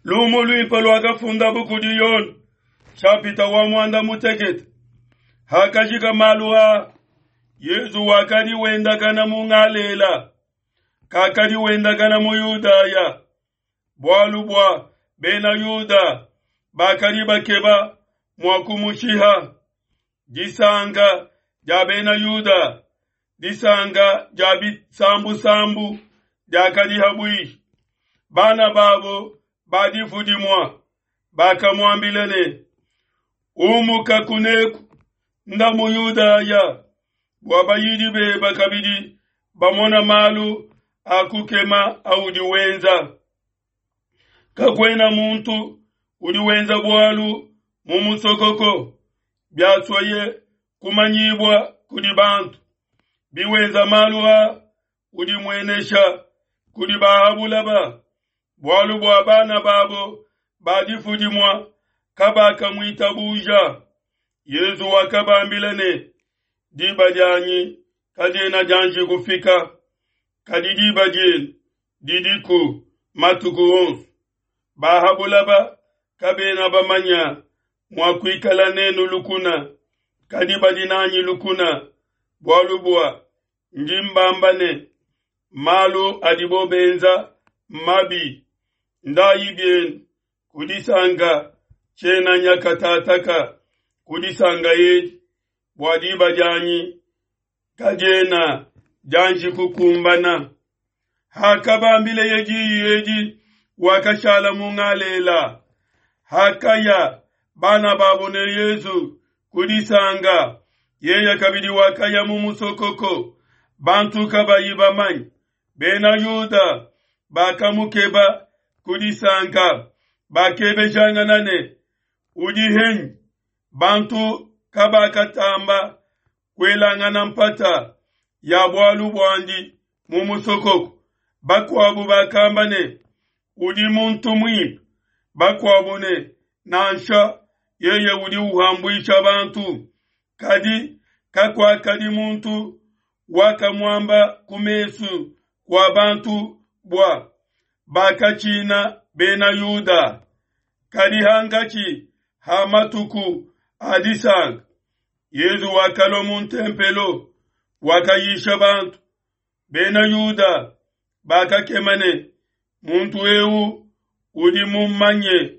Lumu luimpe luakafundabu kudi Yone, nshapita wa muanda mutekete. Hakajika malu aa, Yezu wakadi wendakana mu Galela, kakadi wendakana mu Yudaya, bualu bua Bena Yuda bakadi bakeba mua kumushiha. Disanka dia Bena Yuda, disanka dia bisambusambu diakadi ha buihi. Bana babo ba difu dimue bakamuambila ne, Umuka kuneku, nda mu Yudaya, bua bayidi bebe kabidi bamona malu a kukema audi wenza. Kakuena muntu udi wenza bualu mu musokoko, biasueye kumanyibua kudi bantu. Biwenza malu a udi muenesha kudi ba ha bulaba, bualu bua bana babo ba difu dimue kabakamuitabuja. Yezu wakabambila ne, Diba dianyi kadiena dianji kufika, kadi diba dienu didiku matuku onso. Ba ha bulaba kabena bamanya mua kuikala nenu lukuna, kadi badi nanyi lukuna, bualu bua ndi mbamba ne, malu adibo benza mmabi. Ndayi bienu ku disanka, tshiena nya katataka ku disanka edi, bua diba dianyi kadiena dianji kukumbana. Hakabambileye diyi edi, wakashala mu Galela. Hakaya bana babo ne Yezu ku disanka, yeye kabidi wakaya mu musokoko, bantu kabayi bamanye. Bena Yuda bakamukeba ku disanka, bakebejangana ne, Udi henyi? Bantu kabakatamba kuelangana mpata ya bualu buandi mu musokoko. Bakuabu bakamba ne, Udi muntu muimpe. Bakuabu ne, Nansha, yeye udi uhambuisha bantu. Kadi kakuakadi muntu wakamuamba ku mesu kua bantu bua bakatshina Bena Yuda. Kadi hankatshi ha matuku a disanka, Yezu wakalua mu ntempelo, wakayisha bantu. Bena Yuda bakakema ne, Muntu eu udi mumanye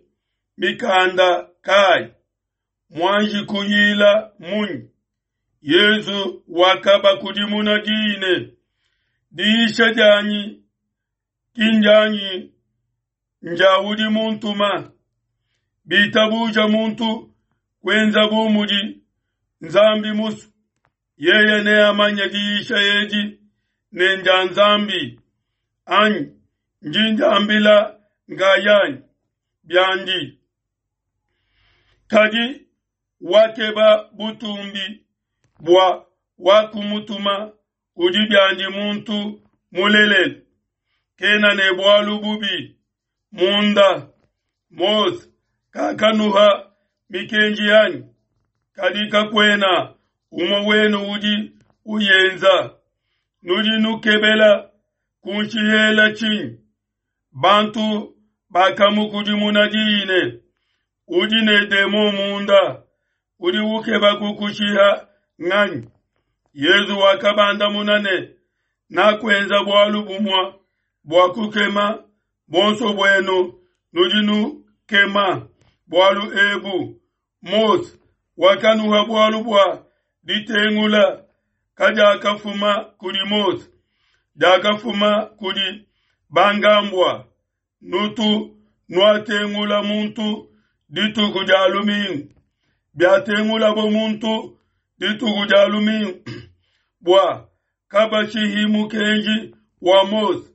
mikanda kayi? Muanji kuyila munyi? Yezu wakabakudimuna diyi ne, Diyisha dianyi ki ndianyi, ndia udi muntuma. Bitabuja muntu kuenza bu mudi Nzambi musue, yeye neamanye diyisha edi ne ndia Nzambi anyi ndi ndiambila nkayanyi biandi. Kadi wakeba butumbi bua wakumutuma udi biandi muntu mulelela, kena ne bualu bubi munda. Mose kakanuha mikenji anyi? Kadi kakuena umue wenu udi uyenza. Nudi nukebela kunshihela tshinyi? Bantu bakamukudimuna diyi ne, Udi ne demon munda, udi ukeba kukushiha nganyi? Yezu wakabandamuna ne, Nakuenza bualu bumue bua kukema, buonso buenu nudi nukema bualu ebu. Mose wakanuha bualu bua ditengula, kadiakafuma kudi Mose, diakafuma kudi bankambua. Nutu nuatengula muntu dituku dia lumingu. Biatengulabo muntu dituku dia lumingu bua kabashihi mukenji wa Mose,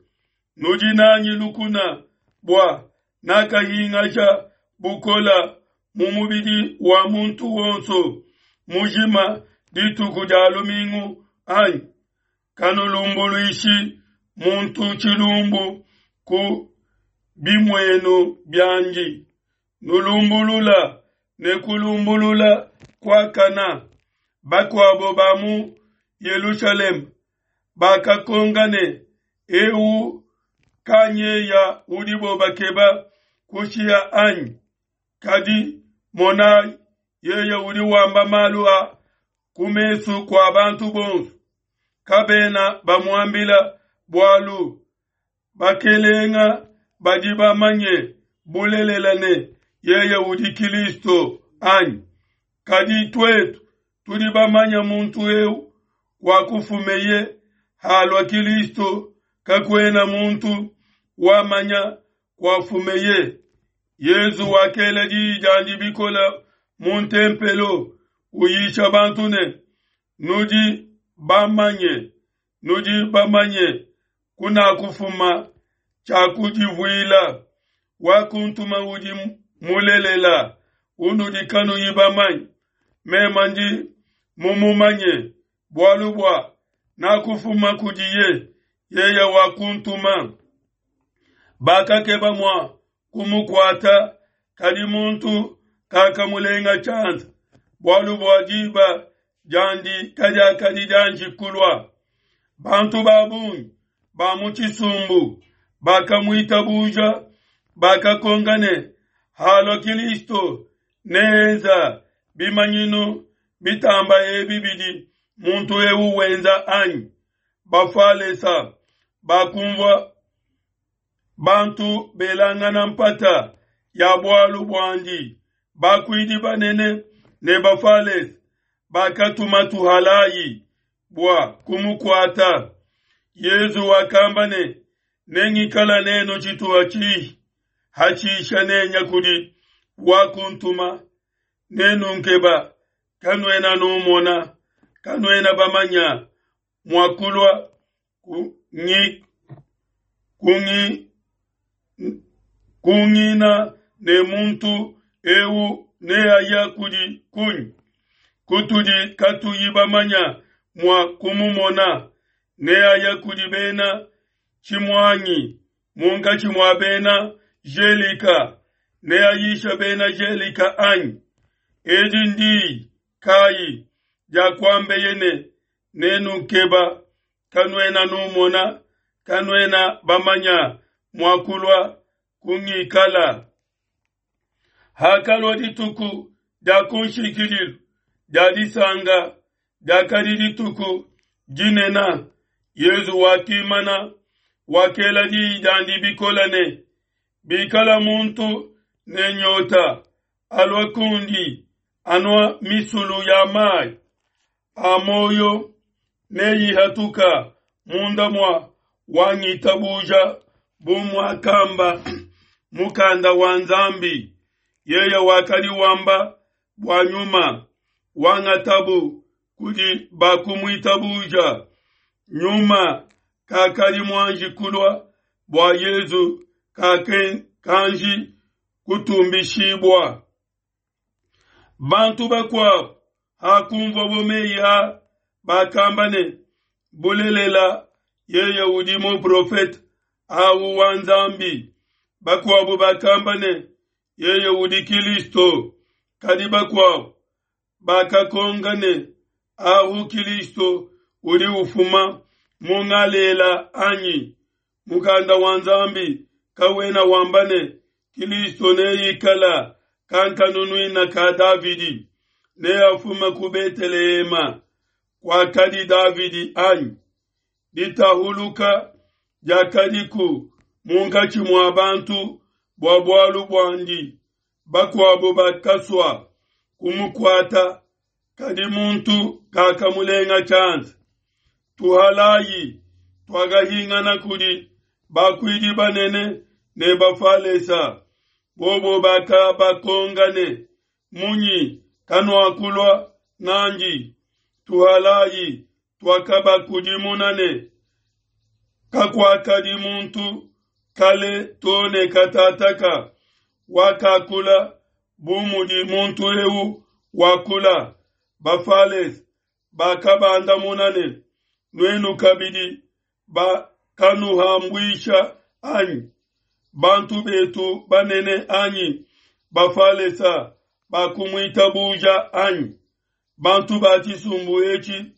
nudi nanyi lukuna bua nakahingasha bukola mu mubidi wa muntu wonso mujima dituku dia lumingu anyi? Kanulumbuluishi muntu tshilumbu ku bimuenu biandi, nulumbulula ne kulumbulula kuakana. Bakuabo ba mu Yelushalema bakakonka ne, Eu kanyeya udibo bakeba? kushiha, anyi? Kadi monai, yeye udi wamba malu a ku mesu kua bantu bonso, kabena bamuambila bualu. Bakelenga badi bamanye bulelela ne yeye udi Kilisto, anyi? Kadi tuetu tudi bamanye muntu eu wakufumeye, halua Kilisto, kakuena muntu wamanya kuafumeye. Yezu wakela diyi diandi bikole mu ntempelo, uyisha bantu ne, Nudi bamanye, nudi bamanye kunakufuma, tshiakudivuila. Wakuntuma udi mulelela, unudi kanuyi bamanye. Meme ndi mumumanye, bualu bua nakufuma kudiye, yeye wakuntuma. Bakakeba mua kumukuata, kadi muntu kakamulenga tshianza, bualu bua diba diandi kadiakadi dianji kulua. Bantu ba bungi ba mu tshisumbu bakamuitabuja, bakakonka ne, Halua Kilisto, neenza bimanyinu bitamba ebi bidi muntu eu wenza, anyi? Bafalesa bakumvua bantu belangana mpata ya bualu buandi. Bakuidi banene ne Bafalese bakatuma tuhalayi bua kumukuata. Yezu wakamba ne, Nengikala nenu tshituha tshihi, hatshisha nenya kudi wakuntuma. Nenunkeba, kanuena numona, kanuena bamanya mua kulua kungina ne muntu eu neaya kudi kunyi, kutudi katuyi bamanya mua kumumona? Neaya kudi bena tshimuangi munkatshi mua bena Gelika, neayisha bena Gelika anyi? Edi ndiyi kayi diakuambeye ne, Nenukeba, kanuena numona, kanuena bamanya mua kulua kungikala? Hakalua dituku dia kunshikidilu dia disanka, diakadi dituku dinene, Yezu wakimana, wakela diyi diandi bikole ne, Bikala muntu ne nyota, alua kundi, anua misulu ya mai a muoyo neyihatuka munda mua wangitabuja, bu muakamba mukanda wa Nzambi. Yeye wakadi wamba bua Nyuma wangatabu kudi bakumuitabuja. Nyuma kakadi muanji kulua bua Yezu kakanji kutumbishibua. Bantu bakuabo hakunvuabo meyi a, bakamba ne, Bulelela, yeye udi muprofete au wa Nzambi. Bakuabo bakamba ne, Yeye udi Kilisto. Kadi bakuabo bakakonka ne, Ahu Kilisto udi ufuma mu Ngalela anyi? Mukanda wa Nzambi kawena wamba ne, Kilisto neikala kankanunuina ka Davidi, neafume ku Betelehema kuakadi Davidi anyi? Ditahuluka diakadiku munkatshi mua bantu bua bualu buandi. Bakuabo bakasua kumukuata, kadi muntu kakamulenga tshianza. Tuhalayi tuakahingana kudi bakuidi banene ne Bafalesa. Bobo bakabakonka ne, Munyi kanuakulua n'andi? Tuhalayi tuakabakudimuna ne, Kakuakadi muntu kale to ne katataka wakakula bu mudi muntu eu wakula. Bafalese bakabandamuna ne, Nuenu kabidi bakanuhambuisha anyi? Bantu betu banene anyi Bafalesa bakumuitabuja anyi? Bantu ba tshisumbu etshi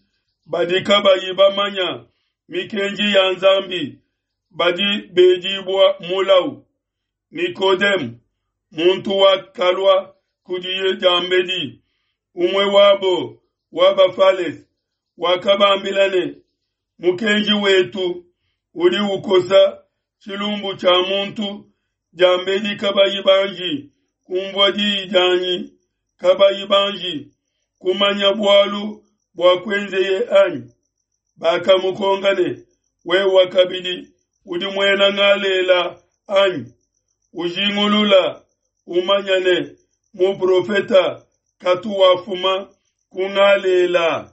badi kabayi bamanya mikenji ya Nzambi badi bedibua mulau. Nikodemu, muntu wakalua kudiye diambedi, umue wabo wa Bafalese, wakabambila ne, Mukenji wetu udi ukosa tshilumbu tshia muntu diambedi kabayi banji kumvua diyi dianyi, kabayi banji kumanya bualu buakuenzeye anyi? Bakamukonka ne, Wewe kabidi udi muena Ngalela anyi? Ujingulula umanya ne, muprofeta katu wafuma ku Ngalela.